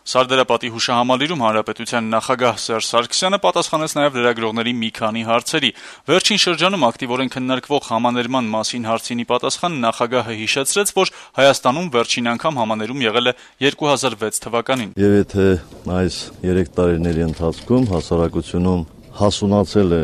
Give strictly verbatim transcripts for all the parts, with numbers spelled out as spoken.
Սարդարապատի հուշահամալիրում հանրապետության նախագահ Սերժ Սարգսյանը պատասխանեց նաև լրագրողների մի քանի հարցերի։ Վերջին շրջանում ակտիվորեն քննարկվող համաներման մասին հարցինի պատասխան նախագահը հիշեցրեց, որ Հայաստանում վերջին անգամ համաներում եղել է երկու հազար վեց թվականին։ Եվ եթե այս երեք տարիների ընթացքում հասարակությունում հասունացել է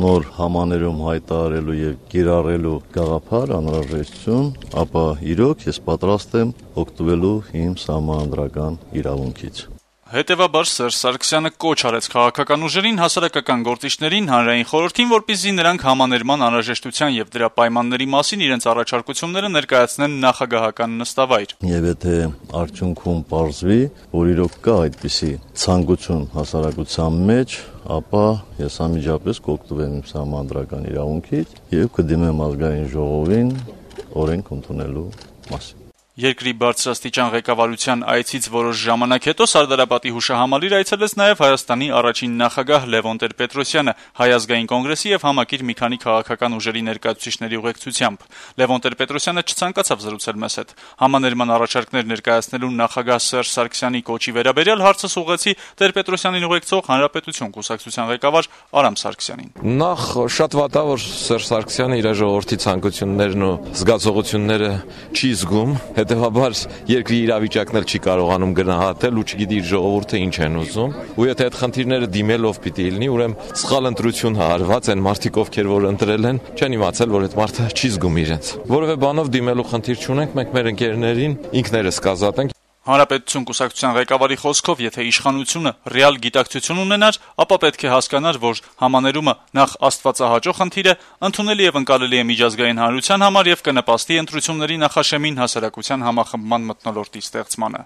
նոր համաներում հայտարարելու եւ կիրառելու գաղափար, անհրաժեշտություն, ապա իրոք ես պատրաստ եմ օգտվելու իմ սահմանադրական իրավունքից։ Հետևաբար Սերժ Սարգսյանը կոչ արեց քաղաքական ուժերին, հասարակական գործիչներին, հանրային խորհրդին, որպեսզի նրանք համաներման անհրաժեշտության եւ դրա պայմանների մասին իրենց առաջարկությունները ներկայացնեն նախագահական նստավայր։ Եվ եթե արդյունքում պարզվի, որ իրոք կա այդպիսի ցանկություն հասարակության մեջ, ապա ես անմիջապես կօգտվեմ իմ սահմանադրական իրավունքից եւ կդիմեմ ազգային ժողովին օրենք ընդունելու մասին։ Երկրի բարձրաստիճան ղեկավարության այցից որոշ ժամանակ հետո Սարդարապատի հուշահամալիր այցելեց նաև Հայաստանի առաջին նախագահ Լևոն Տեր-Պետրոսյանը Հայ ազգային կոնգրեսի եւ համակիր մի քանի քաղաքական ուժերի ներկայացուցիչների ուղեկցությամբ։ Լևոն Տեր-Պետրոսյանը չցանկացավ զրուցել մեզ հետ։ Համաներման առաջարկներ ներկայացնելու նախագահ Սերժ Սարգսյանի կոչի վերաբերյալ հարցս ուղղեցի Տեր-Պետրոսյանին ուղեկցող Հանրապետություն կուսակցության ղեկավար Արամ Սարգսյանին։ Նախ շատ վատ է, որ Սերժ Սարգսյանը իր ժողովրդի ցանկություններն ու զգացողությունները չի զգում, հետեւաբար երկրի իրավիճակն էլ չի կարողանում գնահատել ու չգիտի իր ժողովուրդը ինչ են ուզում, ու եթե այդ խնդիրները դիմելով պիտի լինի, ուրեմն սխալ ընտրություն հարված են մարդիկ, ովքեր որ ընտրել են, չեն իմացել, որ այդ մարդը չի զգում իրենց։ Որովե բանով դիմելու խնդիր չունենք, մենք մեր ընկերներին ինքներս կազատենք։ Հանրապետություն կուսակցության ղեկավարի խոսքով, եթե իշխանությունը ռեալ գիտակցություն ունենար, ապա պետք է հասկանար, որ համաներումը նախ աստվածահաճո խնդիր է, ընդունելի եւ ընկալելի է միջազգային հանրության համար եւ կնպաստի ընտրությունների նախաշեմին հասարակության համախմբման մթնոլորտի ստեղծմանը։